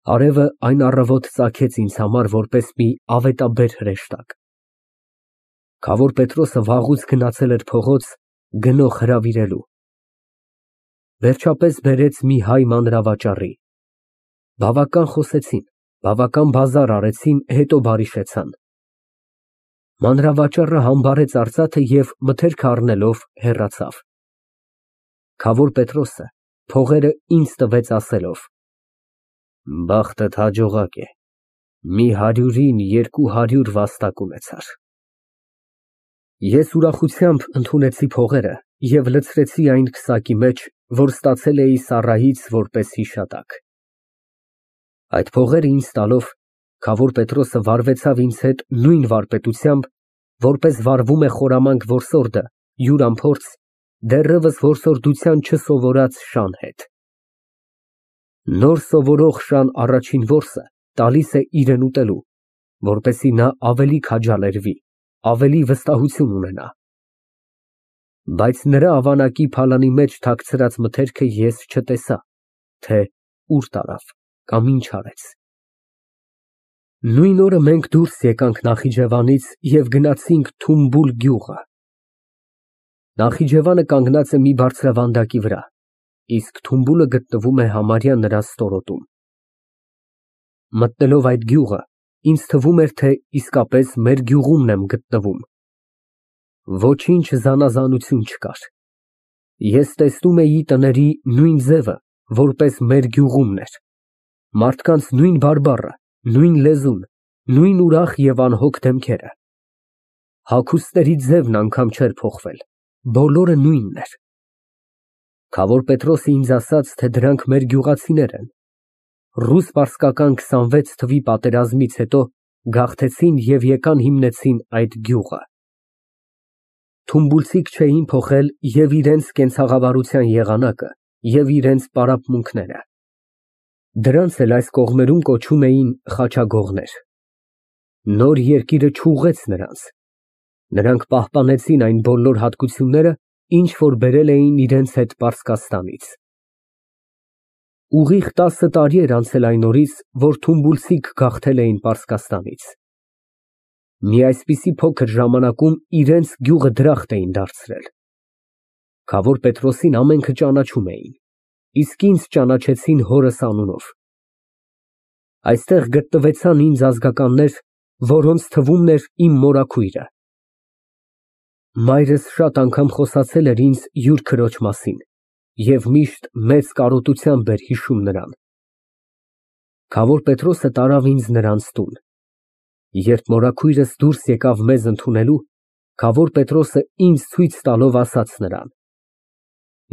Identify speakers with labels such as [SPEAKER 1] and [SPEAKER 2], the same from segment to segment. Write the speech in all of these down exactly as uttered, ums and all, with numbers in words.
[SPEAKER 1] Արևը այն առավոտ ծագեց ինձ համար որպես մի ավետաբեր հրեշտակ։ Քավոր Պետրոսը վաղուց գնացել էր փողոց գնող հրավիրելու։ Վերջապես բերեց մի հայ մանրավաճառի։ Բավական խոսեցին, բավական բազար արեցին, հետո բարիշեցան։ Մանրավաճառը համբարեց արծաթը և մթերքը առնելով հեռացավ։ Քավոր Պետրոսը փողերը ինձ տվեց ասելով. «Բախտդ հաջողակ է, մի հարյուրին երկու հարյուր վաստակ ունեցար»։ Ես ուրախությամբ ընդունեցի փողերը և լցրեցի այն քսակի մեջ, որ ստացել էի Սառայից որպես հիշատակ։ Այդ փողերը ինձ տալով, քավոր Պետրոսը վարվեցավ ինձ հետ նույն վարպետությամբ, որպես վարվում է խորամանկ որսորդը յուր անփորձ, դեռևս որսորդության չսովորած շան հետ։ Նոր սովորող շան առաջին որսը տալիս է իրեն ուտելու, որպեսզի նա ավելի քաջալերվի, ավելի վստահություն ունենա։ Բայց նրա ավանակի փալանի մեջ թաքցրած մթերքը ես չտեսա, թե ուր տարավ կամ ինչ արեց։ Նույն օրը մենք դուրս եկանք Նախիջևանից և գնացինք Թումբուլ գյուղը։ Նախիջևանը կանգնած է մի բարձրավանդակի վրա, իսկ Թումբուլը գտնվում է համարյա նրա ստորոտում։ Մտնելով այդ գյուղը, ինձ թվում էր, թե իսկապես մեր գյուղումն եմ գտնվում։ Ոչինչ զանազանություն չկար։ Ես տեսնում էի տների նույն ձևը, որպես մեր գյուղումն էր, մարդկանց նույն բարբառը, նույն լեզուն, նույն ուրախ և անհոգ դեմքերը։ Հագուստների ձևն անգամ չէր փոխվել, բոլորը նույնն էր։ Քավոր Պետրոսը ինձ ասաց, թե դրանք մեր գյուղացիներ են։ Ռուս֊պարսկական քսանվեց թվականի պատերազմից հետո գաղթեցին և եկան հիմնեցին այդ գյուղը։ Թումբուլցիք չէին փոխել և իրենց կենցաղավարության եղանակը, և իրենց պարապմունքները։ Դրանց էլ այս կողմերում կոչում էին խաչագողներ։ Նոր երկիրը չուղղեց նրանց։ Նրանք պահպանեցին այն բոլոր հատկությունները, ինչ որ բերել էին իրենց հետ Պարսկաստանից։ Ուղիղ տասը տարի էր անցել այն օրից, որ թումբուլցիք գաղթել էին Պարսկաստանից։ Մի այսպիսի փոքր ժամանակում իրենց գյուղը դրախտ էին դարձրել։ Քավոր Պետրոսին ամենքը ճանաչում էին, իսկ ինձ ճանաչեցին հորս անունով։ Այստեղ գտնվեցան ինձ ազգականներ, որոնց թվում էր իմ մորաքույրը։ Մայրս շատ անգամ խոսացել էր ինձ յուր քրոջ մասին և միշտ մեծ կարոտությամբ էր հիշում նրան։ Քավոր Պետրոսը տարավ ինձ նրանց տուն։ Երբ մորաքույրս դուրս եկավ մեզ ընդունելու, քավոր Պետրոսը ինձ ցույց տալով ասաց նրան.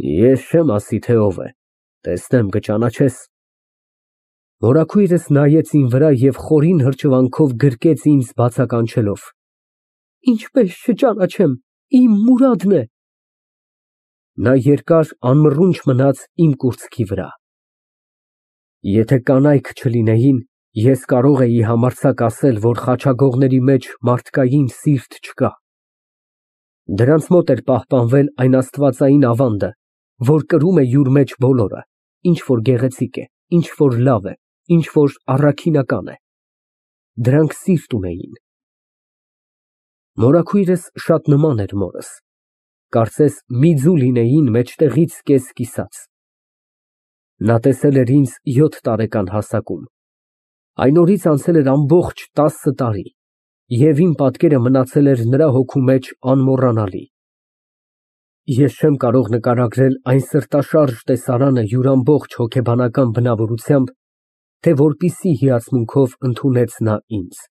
[SPEAKER 1] «Ես չեմ ասի, թե ով է, տեսնեմ կճանաչես»։ Մորաքույրս նայեց իմ վրա և խորին հրճվանքով գրկեց ինձ բացականչելով. «Ինչպես չճանաչեմ, իմ Մուրադն է»։ Նա երկար անմռունչ մնաց իմ կուրծքի վրա։ Եթե կանայք չլինեին, ես կարող էի համարձակ ասել, որ խաչագողների մեջ մարդկային սիրտ չկա։ Դրանց մոտ էր պահպանվել այն աստվածային ավանդը, որ կրում է յուր մեջ բոլորը, ինչ որ գեղեցիկ է, ինչ որ լավ է, ինչ որ առաքինական է։ Դրանք սիրտ ունեին։ Մորաքույրս շատ նման էր մորս, կարծես մի ձու լինեին մեջտեղից կես կիսած։ Նա տեսել էր ինձ յոթ տարեկան հասակում։ Այն օրից անցել էր ամբողջ տասը տարի, և իմ պատկերը մնացել էր նրա հոգու մեջ անմոռանալի։ Ես չեմ կարող նկարագրել այն սրտաշարժ տեսարանը յուր ամբողջ հոգեբանական բնավորությամբ, թե որպիսի հիացմունքով ընդունեց նա ինձ։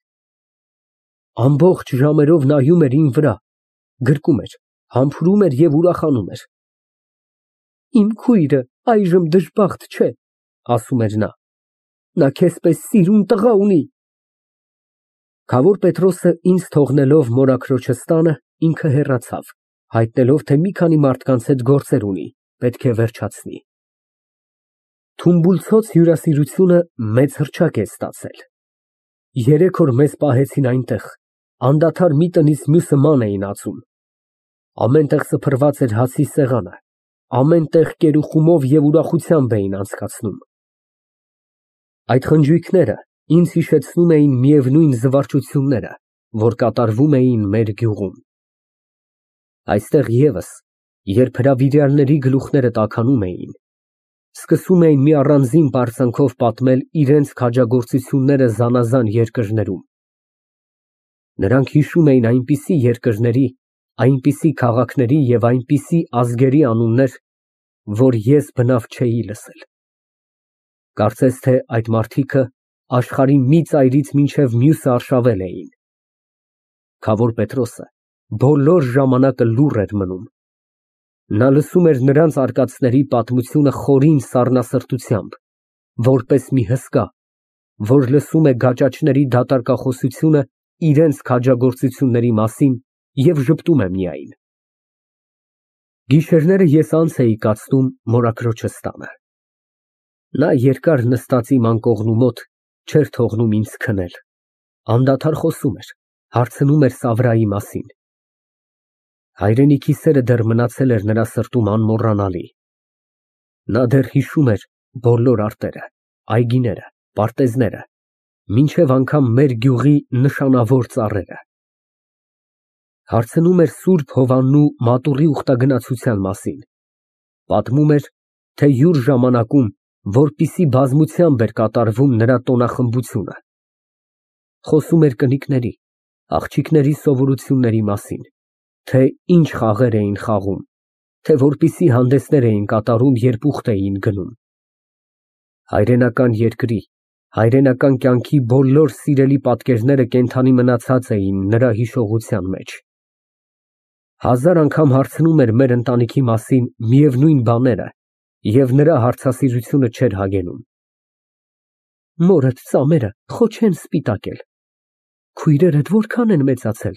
[SPEAKER 1] Ամբողջ ժամերով նայում էր իմ վրա, գրկում էր, համբուրում էր և ուրախանում էր։ «Իմ քույրը այժմ դժբախտ չէ», ասում էր նա, «նա քեզ պես սիրուն տղա ունի»։ Քավոր Պետրոսը ինձ թողնելով մորաքրոջս տանը, ինքը հեռացավ, հայտնելով, թե մի քանի մարդկանց հետ գործեր ունի, պետք է վերջացնի։ Թումբուլցոց հյուրասիրությունը մեծ հռչակ է ստացել։ Երեք օր մեզ պահեցին այնտեղ, անդադար մի տնից մյուսը ման էին ածում։ Ամեն տեղ սփռված էր հացի սեղանը, ամեն տեղ կերուխումով և ուրախությամբ էին անցկացնում։ Այդ խնջույքները ինձ հիշեցնում էին միևնույն զվարճությունները, որ կատարվում էին մեր գյուղում։ Այստեղ ևս, երբ հրավիրյալների գլուխները տաքանում էին, սկսում էին մի առանձին պարծանքով պատմել իրենց քաջագործությունները զանազան երկրներում։ Նրանք հիշում էին այնպիսի երկրների, այնպիսի քաղաքների և այնպիսի ազգերի անուններ, որ ես բնավ չէի լսել։ Կարծես թե այդ մարդիկը աշխարհի մի ծայրից մինչև մյուսը արշավել էին։ Քավոր Պետրոսը բոլոր ժամանակը լուռ էր մնում։ Նա լսում էր նրանց արկածների պատմությունը խորին սառնասրտությամբ, որպես մի հսկա, որ լսում է գաճաճների դատարկախոսությունը իրենց քաջագործությունների մասին և ժպտում է միայն։ Գիշերները ես անց էի կացնում մորաքրոջս տանը։ Նա երկար նստած իմ անկողնու մոտ, չէր թողնում ինձ քնել, անդադար խոսում էր, հարցնում էր Սավրայի մասին։ Հայրենիքի սերը դեռ մնացել էր նրա սրտում անմոռանալի։ Նա դեռ հիշում էր բոլոր արտերը, այգիները, պարտեզները, մինչև անգամ մեր գյուղի նշանավոր ծառերը։ Հարցնում էր Սուրբ Հովաննու մատուռի ուխտագնացության մասին, պատմում էր, թե յուր ժամանակում որպիսի բազմությամբ էր կատարվում նրա տոնախմբությունը։ Խոսում էր կնիկների, աղջիկների սովորությունների մասին, թե ինչ խաղեր էին խաղում, թե որպիսի հանդեսներ էին կատարում, երբ ուխտ էին գնում։ Հայրենական երկրի, հայրենական կյանքի բոլոր սիրելի պատկերները կենդանի մնացած էին նրա հիշողության մեջ։ Հազար անգամ հարցնում էր մեր ընտանիքի մասին միևնույն բաները, և նրա հարցասիրությունը չէր հագենում։ Մորդ ծամերը խո չեն սպիտակել, քույրերդ որքան են մեծացել։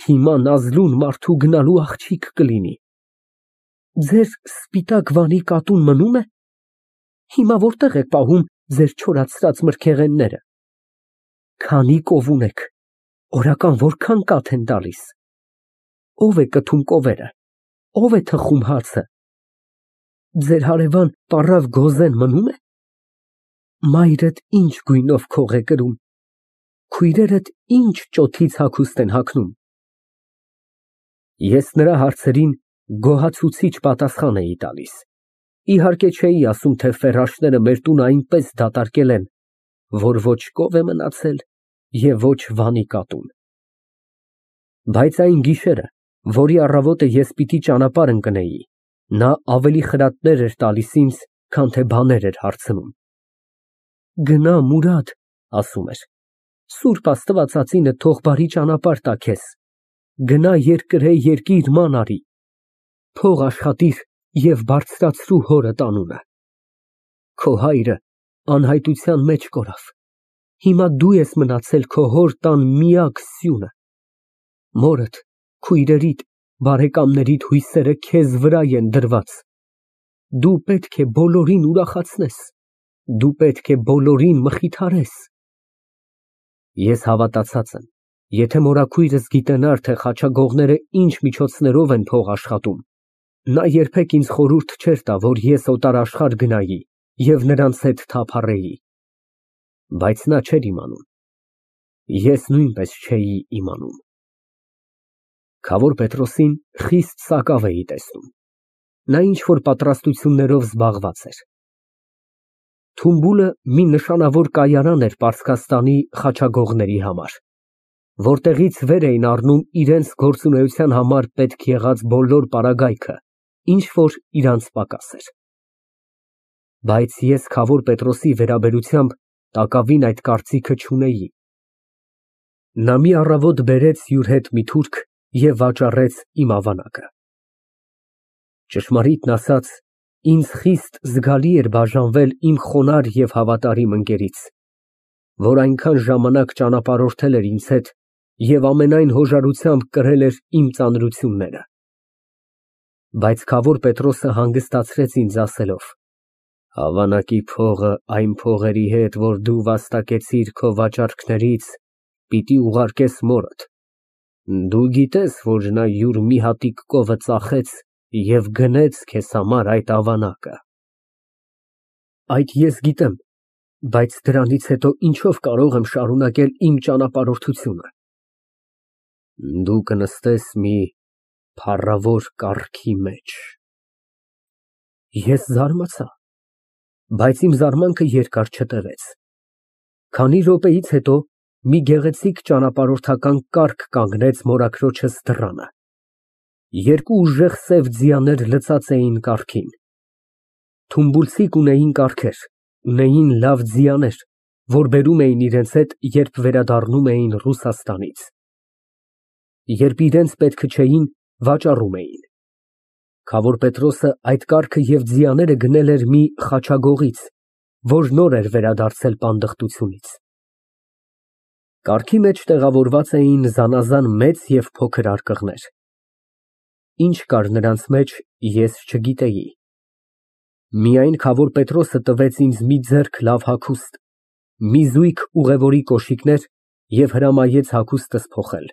[SPEAKER 1] Հիմա Նազլուն մարդու գնալու աղջիկ կլինի։ Ձեր սպիտակ վանի կատուն մնո՞ւմ է։ Հիմա որտե՞ղ եք պահում ձեր չորացրած մրգեղենները։ Քանի կով ունեք, օրական որքան կաթ են տալիս։ Ո՞վ է կթում կովերը, ո՞վ է թխում հացը։ Ձեր հարևան պառավ Գոզեն մնո՞ւմ է։ Մայրդ ինչ գույնով քող է կրում, քույրերդ ինչ ճոթից հագուստ են հագնում։ Ես նրա հարցերին գոհացուցիչ պատասխան էի տալիս։ Իհարկե չէի ասում, թե ֆերաշները մեր տունը այնպես դատարկել են, որ ոչ կով է մնացել և ոչ վանի կատուն։ Բայց այն գիշերը, որի առավոտը ես պիտի ճանապարհ ընկնեի, նա ավելի խրատներ էր տալիս ինձ, քան թե բաներ էր հարցնում։ Գնա, Մուրադ, ասում էր, Սուրբ Աստվածածինը թող բարի ճանապարհ տա քեզ, գնա երկրե երկիր ման արի, փող աշխատիր և բարձրացրու հորդ անունը։ Քո հայրը անհայտության մեջ կորավ, հիմա դու ես մնացել քո հոր տան միակ սյունը։ Մորդ, քույրերիդ, բարեկամներիդ հույսերը քեզ վրա են դրված։ Դու պետք է բոլորին ուրախացնես, դու պետք է բոլորին մխիթարես։ Ես հավատացած եմ, եթե մորաքույրս գիտենար, թե խաչագողները ինչ միջոցներով են փող աշխատում, նա երբեք ինձ խորհուրդ չէր տա, որ ես օտարաշխարհ գնայի և նրանց հետ թափառեի։ Բայց նա չէր իմանում։ Ես նույնպես չէի իմանում։ Քավոր Պետրոսին խիստ սակավ էի տեսնում։ Նա ինչ-որ պատրաստություններով զբաղված էր։ Թումբուլը մի նշանավոր կայարան էր Պարսկաստանի խաչագողների համար, որտեղից վեր էին առնում իրենց գործունեության համար պետք եղած բոլոր պարագայքը, ինչ որ իրանց պակաս էր։ Բայց ես Քավոր Պետրոսի վերաբերությամբ տակավին այդ կարծիքը չունեի։ Նա մի առավոտ բերեց յուր հետ մի թուրք և վաճառեց իմ ավանակը։ Ճշմարիտն ասած, ինձ խիստ զգալի էր բաժանվել իմ խոնարհ և հավատարիմ ընկերից, որ այնքան ժամանակ ճանապարհորդել էր ինձ հետ և ամենայն հոժարությամբ կրել էր իմ ծանրությունները։ Բայց Քավոր Պետրոսը հանգստացրեց ինձ ասելով. Ավանակի փողը այն փողերի հետ, որ դու վաստակեցիր քո վաճառքներից, պիտի ուղարկես մորդ։ Դու գիտես, որ նա յուր մի հատիկ կովը ծախեց և գնեց քեզ համար այդ ավանակը։ Այդ ես գիտեմ, Բայց դրանից հետո ինչով կարող եմ շարունակել իմ ճանապարհորդությունը։ Դու կնստես մի փառավոր կառքի մեջ։ Ես զարմացա, բայց իմ զարմանքը երկար չտևեց։ Քանի րոպեից հետո մի գեղեցիկ ճանապարհորդական կառք կանգնեց մորաքրոջս դռանը։ Երկու ուժեղ սև ձիաներ լցած էին կառքին։ Թումբուլցիկ ունեին կառքեր, ունեին լավ ձիաներ, որ բերում էին իրենց հետ, երբ վերադառնում էին Ռուսաստանից։ Երբ իրենց պետքը չէին, վաճառում էին։ Քավոր Պետրոսը այդ կառքը և ձիաները գնել էր մի խաչագողից, որ նոր էր վերադարձել պանդխտությունից։ Կառքի մեջ տեղավորված էին զանազան մեծ և փոքր արկղներ։ Ինչ կար նրանց մեջ, ես չգիտեի։ Միայն քավոր Պետրոսը տվեց ինձ մի ձեռք լավ հագուստ, մի զույգ ուղևորի կոշիկներ և հրամայեց հագուստս փոխել։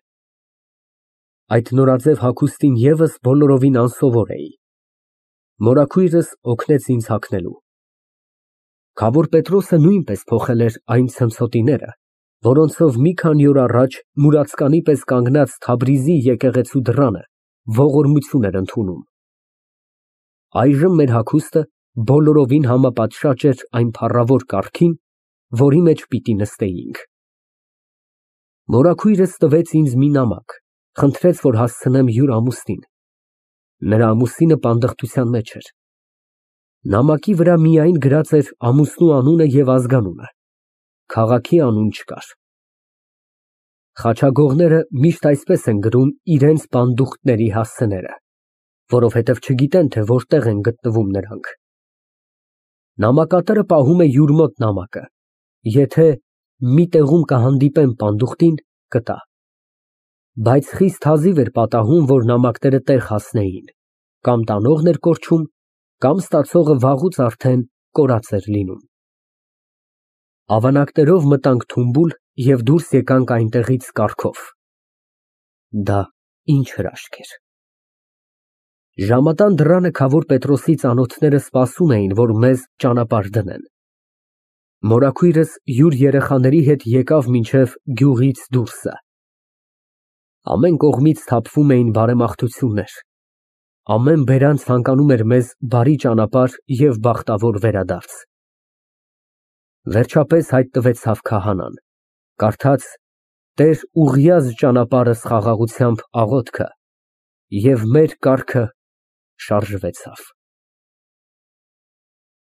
[SPEAKER 1] Այդ նորաձև հագուստին ևս բոլորովին անսովոր էի։ Մորաքույրս օգնեց ինձ հագնելու։ Քավոր Պետրոսը նույնպես փոխել էր այն ցնցոտիները, որոնցով մի քանի օր առաջ մուրացկանի պես կանգնած Թաբրիզի եկեղեցու դռանը ողորմություն էր ընդունում։ Այժմ մեր հագուստը բոլորովին համապատշաճ էր այն փառավոր կառքին, որի մեջ պիտի նստեինք։ Մորաքույրս տվեց ինձ մի նամակ, խնդրեց, որ հասցնեմ յուր ամուսնին։ Նրա ամուսինը պանդխտության մեջ էր։ Նամակի վրա միայն գրած էր ամուսնու անունը և ազգանունը, քաղաքի անուն չկար։ Խաչագողները միշտ այսպես են գրում իրենց պանդուխտների հասցեները, որովհետև չգիտեն, թե որտեղ են գտնվում նրանք։ Նամակատարը պահում է յուր մոտ նամակը, եթե մի տեղում կհանդիպեն պանդուխտին, կտա։ Բայց խիստ հազիվ էր պատահում, որ նամակները տեղ հասնեին, կամ տանողն էր կորչում, կամ ստացողը վաղուց արդեն կորած էր լինում։ Ավանակներով մտանք թումբուլ և դուրս եկանք այնտեղից կառքով։ Դա ինչ հրաշք էր։ Ժամատան դռանը քավոր Պետրոսի ծանոթները սպասում էին, որ մեզ ճանապարհ դնեն։ Մորաքույրս յուր երեխաների հետ եկավ մինչև գյուղից դուրսը։ Ամեն կողմից թափվում էին բարեմաղթություններ։ Ամեն բերանց ցանկանում էր մեզ բարի ճանապարհ և բախտավոր վերադարձ։ Վերջապես հայտնվեցավ քահանան, կարդաց «Տեր ուղղյազ ճանապարհս» խաղաղությամբ աղոթքը, և մեր կառքը շարժվեցավ։